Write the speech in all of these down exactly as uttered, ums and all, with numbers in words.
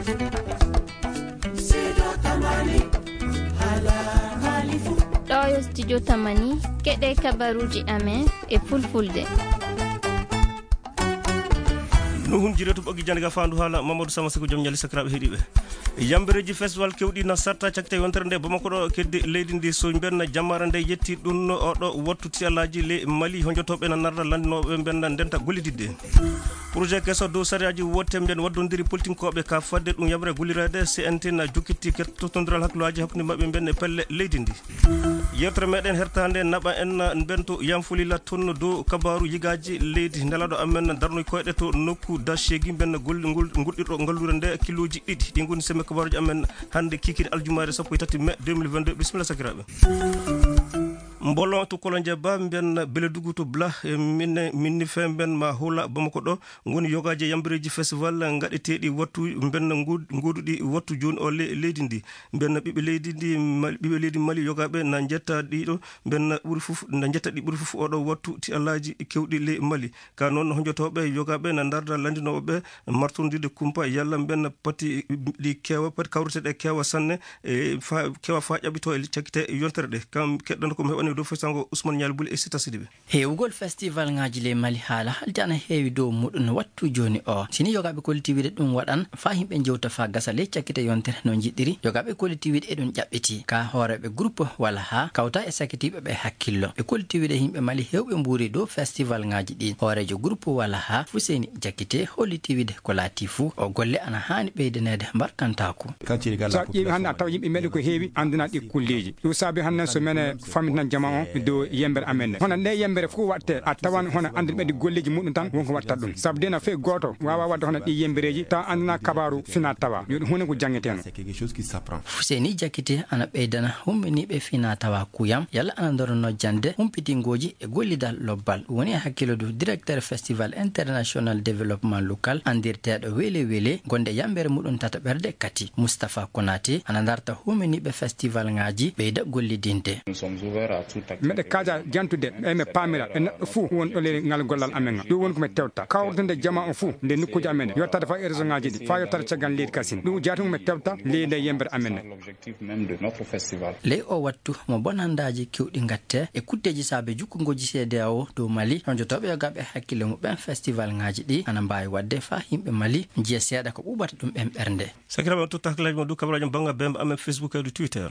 Ɗo yo studio Tamani, keɗe kabaruuji amen e fulfulde. No hunjire to ɓoggi jannde ga faandu haala Mamadou Sama Siko, jom ñali sakiraaɓe heɗiiɓe. Yambereeji festival kewɗi na sarta cakte yontere nde Bamako ɗo keddi leydi ndi so mbenna jammaare nde yetti ɗum oɗo wattu tiyalaaji le Mali honjotooɓe na narra lanndinooɓe mbenna ndenta gollididde. Projet keso dow sariyaaji wotte mbiyen waddondiri politinkooɓe ka fadde ɗum yaɓre gollireede C N T na jokkitti ket-, tottondiral hakkillaaji hakkunde maɓɓe mbiyen e pelle leydi ndi. Yewtere meɗen hertande naɓa en mbento yanfulila tonno dow kabaaru yigaaji leydi. Nelaɗo amen darnoy koyɗe to nokku Dashegi mbenna gol-, ngol-, ngurɗirɗo ngalluure nde kilooji ɗiɗi. Ɗi ngoni semme kabaaruji amen hannde kikiri aljumaare sappo e tati mai deux mille vingt-deux. Bisimilla sakiraaɓe. Mbolon to Kolonje Ba, mbiyen Beledugu to Bla, e minne, minni fe mbiyen ma hula Bamako ɗo, ngoni yogaaji yambireeji festival ngaɗeteeɗi wattu, mbiyen ngu-, nguuduɗi wattu jooni o le-, leydi ndi. Mbiyen ɓiɓɓe leydi ndi, Mali, ɓiɓɓe leydi Mali yogaaɓe na njetta ɗiɗo, mbiyen ɓuri fof, na njetta ɗi ɓuri fof oɗo wattu ti alaaji kewɗi le Mali. Ka noon honjotooɓe yogaaɓe na ndarda lanndinooɓe martondirde kumpa yalla mbiyen pati ɗi keewa, pati kawriteɗe keewa sanne, e fa-, keewa fa ƴaɓɓito e cakkite yontere ɗe. Kam keɗɗon ko mi heɓani dow fesango Ousmane Ñaali Buli e Sita Sidibe. Heewugol festival ŋaaji ley Mali haala haaldi ana heewi dow muɗum wattu jooni o. Sini yogaaɓe kolliti wiide ɗum waɗan faa yimɓe njewta faa gasa ley cakkite yontere no njiɗiri. Yogaaɓe kolliti wiide e ɗum ƴaɓɓiti. Ka hooreeɓe groupe walla haa kawta e sakitiiɓe ɓe hakkillo. Ɓe kolliti wiide yimɓe Mali heewɓe mbuuri dow festival ŋaaji ɗi. Hooreejo groupe walla haa Fuseni Jakite holliti wiide ko laati fuu o golle ana haani ɓeydaneede mbarkantaaku. So a ƴeewi hannde a tawa yimɓe meɗen ko heewi anndana ɗi kulleeji. Ɗum saabi hannde so mene fammitan jama on dow yembere amen nde. Hono nde yembere fof waɗte a tawan hono annduɓe ɗi golleeji muɗum tan wonko waɗta ɗum. Sabu de na fey gooto waawa waɗde hono ɗi yembereeji tawa anndana kabaaru fina tawa. Yo ɗum huunde ko janngeteno. Fuseni Jakite ana ɓeydana humminiiɓe fina tawa kuyam yalla ana ndorono jannde humpitiingooji e gollidal lobbal. Ɗum woni e hakkillo du directeur Festival International Développement Local anndirteeɗo Wele Wele, gonde yambere muɗum tata ɓerde kati. Moustapha Konaté ana ndarta huuminiiɓe festival ŋaaji ɓeyda gollidinde. Meɗe kaaja jantude e me paamira e neɗɗo fuu won ɗo leydi ngal gollal amen ngal. Ɗum woni ko mi tewta. Kawrude jama on fuu nde nokkuuji amen ɗi. Yottade faa e région ŋaaji ɗi, faa yottade caggal leydi kasin. Ɗum jaati mo mi tewta ley nde yembere amen nde. Ley o wattu mo bonandaaji kewɗi ngatte e kutteeji saabe jukkungooji C D A O dow Mali, honjotooɓe yogaaɓe hakkille muɓɓen festival ŋaaji ɗi ana mbaawi waɗde faa yimɓe Mali njiya seeɗa ko ɓuuɓata ɗum ɓen ɓernde. Sakiraaɓe, on totta hakkillaaji mon dow kabaraaji bannga bemba amen Facebook e dow Twitter.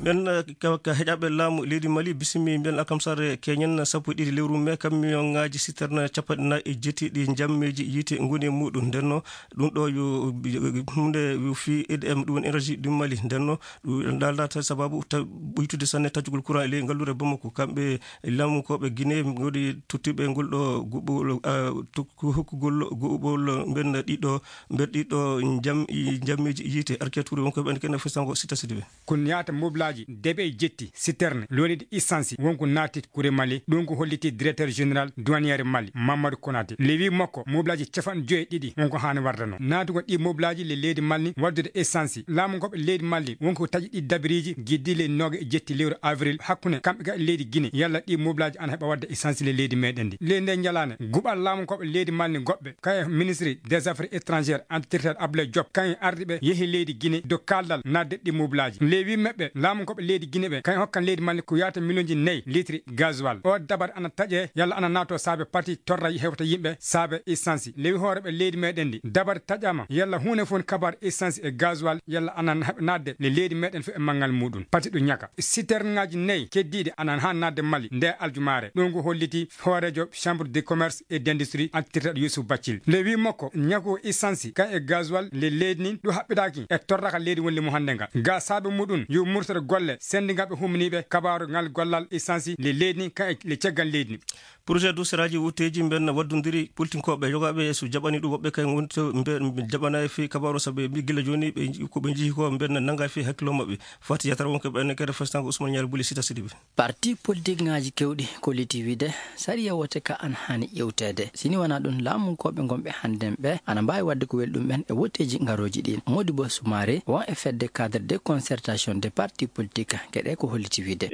Mbiyen, eh, ka, ka heƴaaɓe laamu leydi Mali, bisimi mbiyen alkamsare keñen sappo e ɗiɗi lewru me, camion ŋaaji citerne capanɗe nayi e jeeti ɗi njammeeji yiite ngoni e muɗum. Ndenno, ɗum ɗo yo, yo huunde yo fii E D M, ɗum woni énergie du Mali. Ndenno, ɗum daldata sababu ta-, ɓuytude sanne taccugol courant e ley ngalluure Bamako. Kamɓe laamunkooɓe Guinée ngoni tottiiɓe ngol ɗo guɓɓol, ah, tok-, hokkugol guɓɓol mbiyen ɗiɗo, mbiyen ɗiɗo njam-, njammeeji yiite. Arkiya Touré wonko ɓen kene fesango Sita Sidibe. Kun yaata moblaaji debe e jetti citerne lolide essence wonko naati kure Mali. Ɗum ko holliti directeur général douanière Mali, Mamadou Konaté. Le wi makko moblaaji capanɗe joyi e ɗiɗi wonko haani wardano. Naatugol ɗi moblaaji le leydi Mali waddude essence. Laamu ngoɓe leydi Mali wonko taƴi ɗi dabiriiji giddi le nooga e jetti lewru avril hakkunde kamɓe ga leydi Guinée. Yalla ɗi moblaaji ana heɓa wadde essence le leydi meɗen ndi. Le nde njalaane guɓal laamu ngoɓe leydi Mali goɓɓe kaye ministre des affaires étrangères, entretien Abdoulaye Diop, kayen ardiiɓe yehi leydi Guinée dow kaaldal naatde ɗi moblaaji. Le wi meɓɓe laamu ngoɓe leydi Guinée ɓe kayen hokkan leydi Mali ko yaata miliyonji nayi litre gasoil. O dabare ana taƴe yalla ana naato saabe pati torra hewta yimɓe saabe essence. Le wi hooreɓe leydi meɗen ndi dabare taƴama yalla huunde fof kabar essence e gasoil yalla ana heɓa naatde le leydi meɗen fof e manngal muɗum. Pati ɗum ñaka. Citerne ŋaaji nayi keddiiɗi ana haa naatde Mali nde aljumaare. Ɗum ko holliti hooreejo Chambre de Commerce et d'Industrie, entretien Youssouf Bathily. Le wi makko ñaku essence kan e gasoil le leydi nin ɗum haɓɓitaaki e torraka leydi wonde mo hannde nga. Ga saabe muɗum yo murtere golle sendingaɓe humniiɓe kabaaru ngal gollal essence le leydi nin kan e le caggal leydi nin. Projet du seraaji wutteeji mben waddondiri politinkooɓe yogaaɓe so jaɓani ɗum woɓɓe kay woni to mbe, mbe jaɓanaay fi kabaaru sabu ɓe mbi gila jooni ɓe nji-, ko ɓe njihi ko mben nanngaay fi hakkilo maɓɓe. Fati yatara wonko ɓe ene kere festango Ousmane Ñaari Buli Sita Sidibe. Parti politik ŋaaji kewɗi kolliti wiide sariya wote ka an haani ƴewteede. Sini wonaa ɗum laamunkooɓe ngonɓe hannden ɓe ana mbaawi waɗde ko weli ɗum ɓen e woteeji ngarooji ɗin. Modibo Soumaré won e fedde cadre de concertation de parti politique, keɗe ko holliti wiide.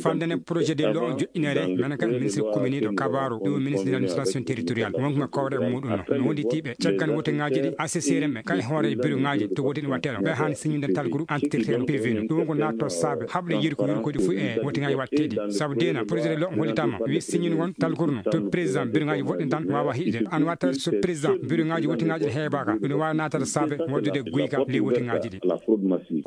Fandene projet de loi joƴƴineede, nana kan ministre communiɗo kabaru, ɗum ministre de l'administration territoriale, wonko kowre muɗum no. No wondi tiiɓe, caggan woteŋaaji ɗi, assesseur en ɓe, kay hoore bureau ŋaaji to woti no wattee ɗo. Ɓe han signinde talkuru entretien P V no. Ɗum ko naatto saabe, haɓde yirko yirkoji fu e woteŋaaji watteeɗi. Sabu dena, projet de loi hollitama, wi signine won talkuru no. To président bureau ŋaaji woɗɗin tan wawa hiɗde. An watta so président bureau ŋaaji woteŋaaji ɗi heɓaka, ɗum wawa naatata saabe, waddude guyka ley woteŋaaji ɗi.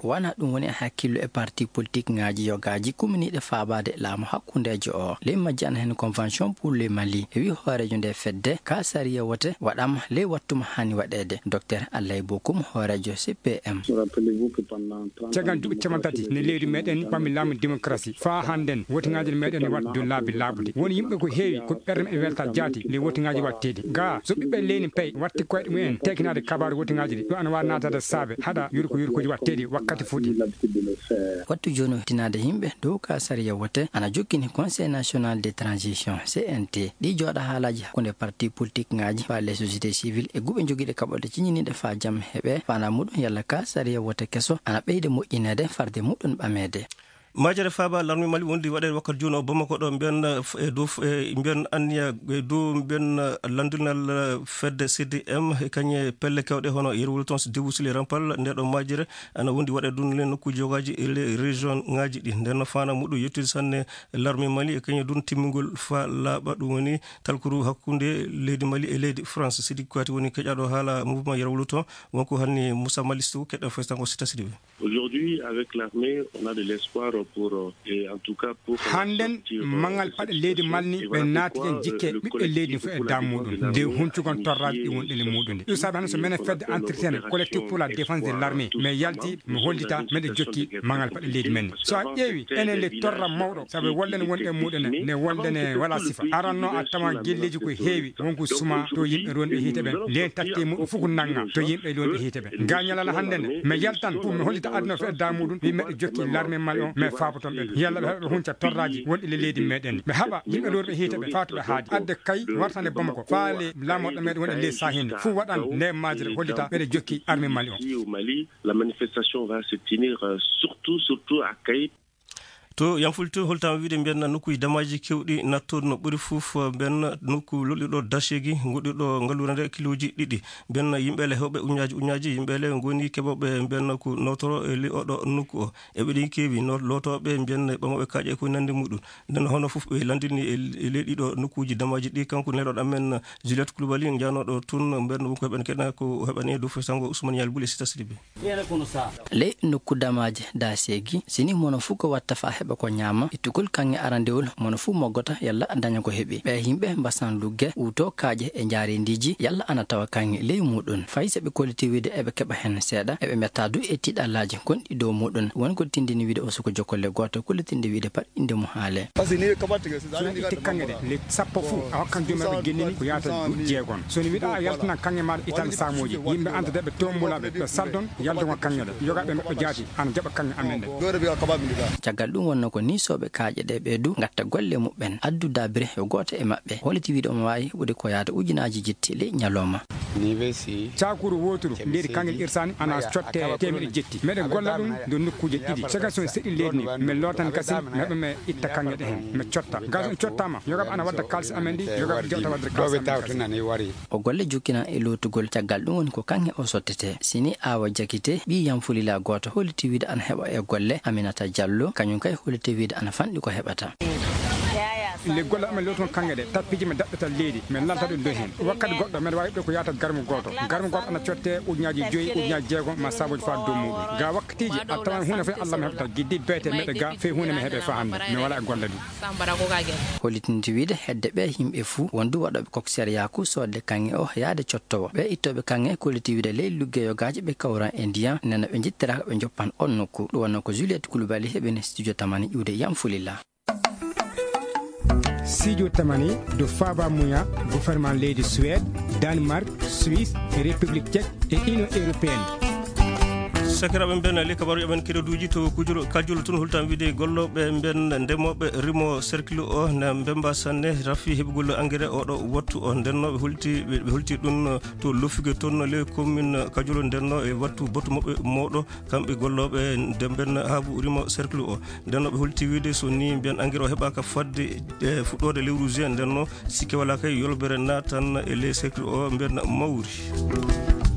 Wana ɗum woni e hakkillo e parti politique ŋaaji yogaaji kuminiiɗe faabaade laamu hakkundeejo o. Ley majji ana heen Convention pour le Mali. E wi hooreejo nde fedde, ka sariya wote waɗama ley wattuma hani waɗeede. Docteur Allay Bokum, hooreejo C P M. Caggal duuɓi capanɗe tati, ne leydi meɗen pammi laamu démocratie. Faa hannden, wotiŋaaji meɗen ne waɗa dow laabi laaɓuɗi. Won yimɓe ko heewi, ko ɓerɗe maɓɓe welta jaati, ley wotiŋaaji watteeɗi. Gaa, so ɓiɓɓe leydi pay watti koyɗe mumen, tekinaade kabaaru wotiŋaaji ɗi, ɗo ana waawi naataade saabe, haɗa yurko yurkooji watteeɗi wakkati fuɗi. Wattu jooni o tinaade yimɓe dow ka sariya wote, ana jokkini Conseil National de Transition, C N T. Ɗi jooɗa haalaaji hakkunde parti politique ŋaaji, faale société civile e guɓe jogiiɗe kaɓorɗe ciñiniiɗe faa jam heɓe, faandaa muɗum yalla ka sariya wote keso, ana ɓeyde moƴƴineede farde muɗum ɓameede. Majere faaba larme Mali wondi waɗe wakkati jooni o Bamako ɗo mbiyan, eh, dow, eh, mbiyan anniya, eh, dow mbiyan, eh, landinal, eh, fedde C D M, e kañe pelle kewɗe hono Yerwul Tons, Debout sur les Remparts, nde ɗo majere ana wondi waɗe ɗum le nokkuji yogaaji e le région ŋaaji ɗi. Nden no faandaa muɗum yettude sanne larme Mali e kañe ɗum timmingol fa laaɓa ɗum woni talkuru hakkunde leydi Mali e leydi France. Sidi Kouyaté woni keƴaɗo haala mouvement Yerwul Tons, wonko hanni Moussa Malisto keɗɗo festango sita sidi ɓe. Aujourd'hui, avec l'armée, on a de l'espoir pour, euh, et en tout cas pour, euh, Hannden, sortir, euh, mangal de paɗe cette leydi situation. Malni, ɓe naati en jikke ɓiɓɓe leydi fof e daamuɗum. Nde huncugon torraaji ɗi wonɗi le muɗum. Ɗum saabi hannde so menen fedde entretien collectif pour la défense de l'armée, mais yalti, mi hollita, meɗe jokki mangal paɗe leydi men. So a ƴeewi, enen le torra mawɗo, sabu wolde ne wonɗe muɗum ne, ne wolde ne wala sifa. Aranno a tawa gelleeji ko heewi, wonko suma to yimɓe ronɓe hiite ɓen. Nden tatti muɗum fof ko nanga to yimɓe ronɓe hiite ɓe. Gañalal hannde nde, mi yaltan pour mi hollita aduna o fedda muɗum, wi meɗe jokki l'armée Mali on, mais faaboton ɓe. Yalla ɓe heɓa ɓe hunca torraaji wonɗi le leydi meɗen. Ɓe haɓa yimɓe ronɓe hiite ɓe faa to ɓe haaji. Adde kay wartande Bamako, faale laamoɗo meɗen woni e ley sahinde. Fof waɗan nde majere hollita ɓeɗe jokki armée Mali on. Ici au Mali, la manifestation va se tenir, euh, surtout, surtout à Kayes. To Yamfulto holtama wiide mbiyan nokkuji damaji kewɗi nattoɗo no ɓuri fof mbiyan nokku lolɗiɗo dachegi goɗɗiɗo ngalluure nde kiloji ɗiɗi. Mbiyan yimɓe le hewɓe uñaji uñaji yimɓe le goni keɓoɓe mbiyan ko notoro e li oɗo nokku o. Eɓe ɗin keewi no lootoɓe mbiyan ɓamoɓe kaaƴe ko nande muɗum. Nden hono fof ɓe landini e, e ley ɗiɗo nokkuji damaji ɗi kanko neloɗo amen Juliette Koulibaly janoɗo tun mbiyan wonko heɓen keɗa ko heɓani dow fesango Ousmane Yalbou le sita sidi ɓe. Ley nokku damaaji daaseegi, sini mono fuu ko watta faa heɓa ko ñaama, ittugol kaŋŋe arandewol, mono fuu moggota yalla daña ko heɓi. Ɓee yimɓe mbasan lugge, uutoo kaaƴe e njaareendiiji, yalla ana tawa kaŋŋe ley muuɗum. Fay so ɓe kolliti wiide eɓe keɓa hen seeɗa, eɓe metta du e tiiɗallaaji gonɗi dow muuɗum. Won ko tindini wiide o suka jokolle gooto, kollitinde wiide pat innde mum haale. Sono itti kaŋŋe ɗe, le sappo fuu, a hokkan joomiraaɓe gennini ko yaata duuɓi jeegom. So ni wiɗa a yaltana kaŋŋe maaɗa itan saamooji, yimɓe anda de ɓe tombula ɓe, ɓe saldon yaltugol kaŋŋe ɗe. Yoga ɓe mbaɗɗo jaati, ana jaɓa kaŋŋe amen ɗe. Caggal ɗum wonno ko niisooɓe kaaƴe ɗe ɓe du ngatta golle muɓɓen, addu daabire yo gooto e maɓɓe. Holliti wiɗo omo waawi heɓude ko yaata ujunaaji jetti ley ñalawma. Cakuru wooturu, leydi kaŋŋe irsaani, ana cotte teemeɗe jetti. Meɗen golla ɗum nder nokkuuje ɗiɗi. Caggal so mi seɗi leydi ni, mi lootan kasin, mi heɓa mi itta kaŋŋe ɗe hen, mi cotta. Gaa so ɗum cottaama, yoga ɓe ana wadda kaalisi amen ɗi, yoga ɓe jewta wadde kaalisi amen kasin. O golle jokkina e lootugol, caggal ɗum woni ko kaŋŋe o sottete. Sini Awa Jakite, ɓii Yamfulila gooto, holliti wiide ana heɓa e golle Aminata Jallo, kañum kay holliti wiide ana fanɗi ko heɓata. Le golle amen lootugol kaŋŋe ɗe, tappiiji men daɓɓata leydi, men lalta ɗum dow hen. Wakkati goɗɗo, men waawi ɗo ko yaata garmu gooto. Garmu gooto ana cotte ujunaaji joyi, ujunaaji jeegom, ma saabuji faa dow muuɗum. Gaa wakkatiiji, a tawan huunde fof Allah mi heɓata, giddi beete meɗe gaa, fey huunde mi heɓe faa hannde. Mi wala e golle ɗum. Hollitinde wiide hedde ɓee yimɓe fuu, won du waɗooɓe commissariat ku soodde kaŋŋe o yaade cottowo. Ɓee ittooɓe kaŋŋe kolliti wiide ley lugge yogaaji ɓe kawran e ndiyan, nena ɓe njettiraaka ɓe njoppan on nokku. Ɗum wonno ko Juliette Koulibaly heɓini studio Tamani ƴuwde Yamfulila. Studio Tamani, do Faba Muya, gouvernement leydi Suède, Danemark, Suisse, e République Tchèque e Union Européenne. Sakiraaɓe, mben ley kabaaruuji amen kereduuji to Kujuro Kajulu tun, holtam wiide gollooɓe mben ndemooɓe rimo cercle o na mbemba sanne rafi heɓugol engrais oɗo wattu o. Nden no ɓe holti, ɓe, ɓe holti ɗum to Lofuge toon ley commune Kajulu. Nden no e wattu batu maɓɓe mawɗo, kamɓe gollooɓe nden mben haabu rimo cercle o. Nden no ɓe holti wiide so ni mbiyan engrais o heɓaaka fadde e fuɗɗoode lewru juin, nden no sikke walaa kay yolbere naatan e ley cercle o mbiyan mawri.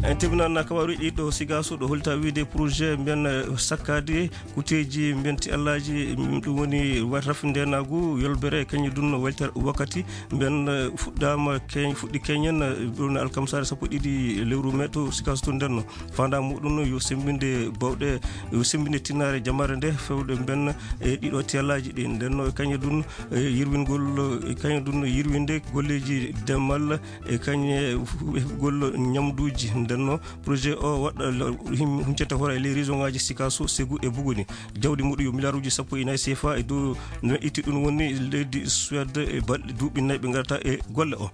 En teminaan kabaaruuji ɗi ɗo Sigaso ɗo holta wiide projet mbiyan, eh, sakkaade kuteeji mbiyan ti allaaji, mm, ɗum woni wa-, rafindeenaagu yolbere kañum dun welter wakkati mbiyan, eh, fuɗɗaama keñ-, fuɗɗi keñen, eh, ɗum alkamsaare sappo e ɗiɗi lewru mai to Sigaso to nden no. Faandaare muɗum yo semmbinde bawɗe, yo semmbinde tinnaare jamaare nde fewde mben e ɗiɗo tiyallaaji ɗi. Nden no e kañe dun, e yirwingol, e kañe dun yirwinde golleeji demal e kañe fu-, heɓugol ñamduuji. Nden no projet o waɗa lo-, him-, huncata hoore e ley région ngaaji Sikaso, Segu e Buguni. Jawdi muɗum yo miliyaaruuji sappo e nayi C F A e dow no itti ɗum woni leydi Suède e balɗe duuɓi nayi ɓe ngarata e golle o.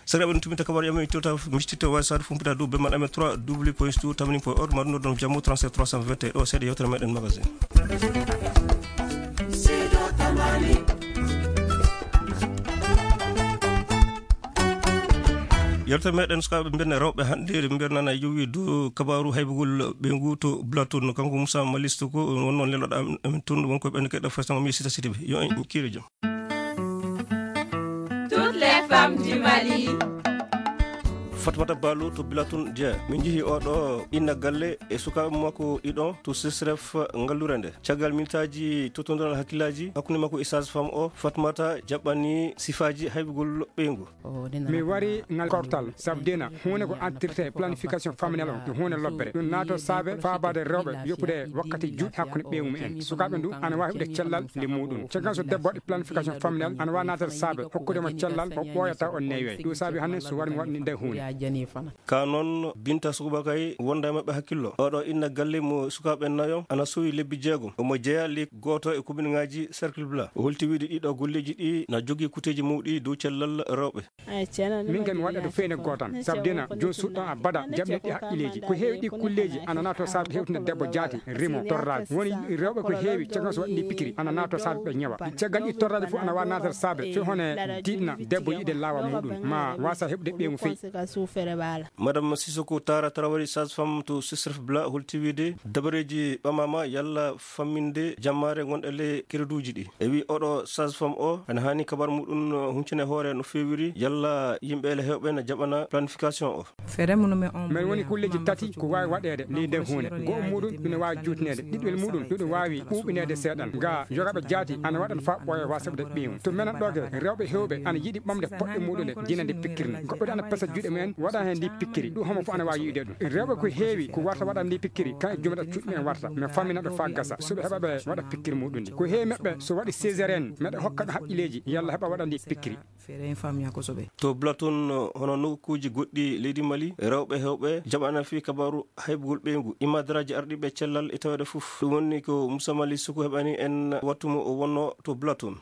Sakiraaɓe, ɗum tuminta kabaaruuji amen, ittota, mistita, wasaade, fumpita dow bemman amen trois W point stu tamani point org, ma ɗum ɗo ɗon jammu trente-sept trois cent vingt et un. Ɗo seeɗa yewtere meɗen magazine. Yewtere meɗen sukaaɓe mbiyan rewɓe hannde, mbiyan nana yowi dow kabaaru haybugol ɓeyngu to Blatun. Kanko Moussa Malisto ko wonno leloɗa amen tun, wonko ɓen keɗa fasama mi sita sitiɓe. Yo en kiire jam. Toutes les femmes du Mali. Fatmata Balo to Bilatun Dia. Min njihi oɗo inna galle e sukaaɓe makko ɗiɗo to Sesref ngallure nde. Caggal minitaaji tottondiral hakkillaaji hakkunde makko e sage-femme o, Fatmata jaɓɓani sifaaji haybugol ɓeyngu. Mi wari ngal kortal, sabu dina huunde ko entretien e planification familiale on, ko huunde lobbere. Ɗum naato saabe faabaade rewɓe yoppude wakkati juuɗe hakkunde ɓeyngu mumen. Sukaaɓe ndu ana waawi heɓude cellal nde muɗum. Caggal so debbo waɗi planification familiale, ana waawi naatade saabe hokkude mo cellal o ɓooyata o neewe. Ɗum saabi hannde so wari mi waɗni nde huunde. Ka noon, Binta Sukuba kay wonda e maɓɓe hakkillo. Oɗo inna galle mo sukaaɓe nayo, ana sowi lebbi jeegom. Omo jeya lek gooto e commune ngaaji Cercle Blanc. O holti wiide ɗiɗo golleeji ɗi na jogii kuteeji mawɗi dow cellal rewɓe. Min kay mi waɗa ɗo feewde gootan, sabu dina jooni suuɗɗo abada jaɓni ɗi haqqileeji. Ko heewi ɗi kulleeji ana naato saabe hewtinde debbo jaati, rimo, torraade. Woni rewɓe ko heewi, caggal so waɗi ndi pikiri, ana naato saabe ɓe ñawa. Caggal ɗi torraade fof ana waawi naatade saabe, few hone diɗna debbo yiɗde laawol muɗum, ma waasa heɓude ɓeyngu feewi. Madame Sissoko Tara Traoré, sage-femme to Sesref Blanc, holti wiide dabareeji ɓamaama yalla famminde jammaare ngonɗe le kereduuji ɗi. E wi oɗo sage-femme o, ana haani kabar muɗum huncine hoore no feewiri, yalla yimɓe ele hewɓe na jaɓana planification o. Min woni kulleeji tati ko waawi waɗeede ley nden huunde. Go'o muɗum ina waawi juutineede, ɗiɗwel muɗum ɗum waawi ɓuuɓineede seeɗan. Ga yogaaɓe jaati ana waɗan faa ɓooya waasa heɓude ɓeyngu. To menen ɗo ke, rewɓe hewɓe ana yiɗi ɓamde poɗɗe muɗum ɗe, dina nde pikkirne. Goɗɗo ana pesa juuɗe mumen, waɗa heen ndi pikkiri. Ɗum homo fof ana waawi yi'ude ɗum. Rewɓe ko heewi ko warta waɗa ndi pikkiri, kan e jumata cuuɗi mumen warta. Mi fammina ɓe faa gasa, so ɓe heɓa ɓe waɗa pikkiri muɗum ndi. Ko heewi meɓɓe so waɗi césarienne, meɗa hokka ɓe haqqileeji, yalla heɓa waɗa ndi pikkiri. To Blatun, hono nokkuuji goɗɗi leydi Mali, rewɓe hewɓe jaɓana fii kabaaru haybugol ɓeyngu. Imadaraaji arɗiiɓe cellal e taweede fof. Ɗum woni ko Moussa Mali Suku heɓani en wattu mo o wonno to Blatun.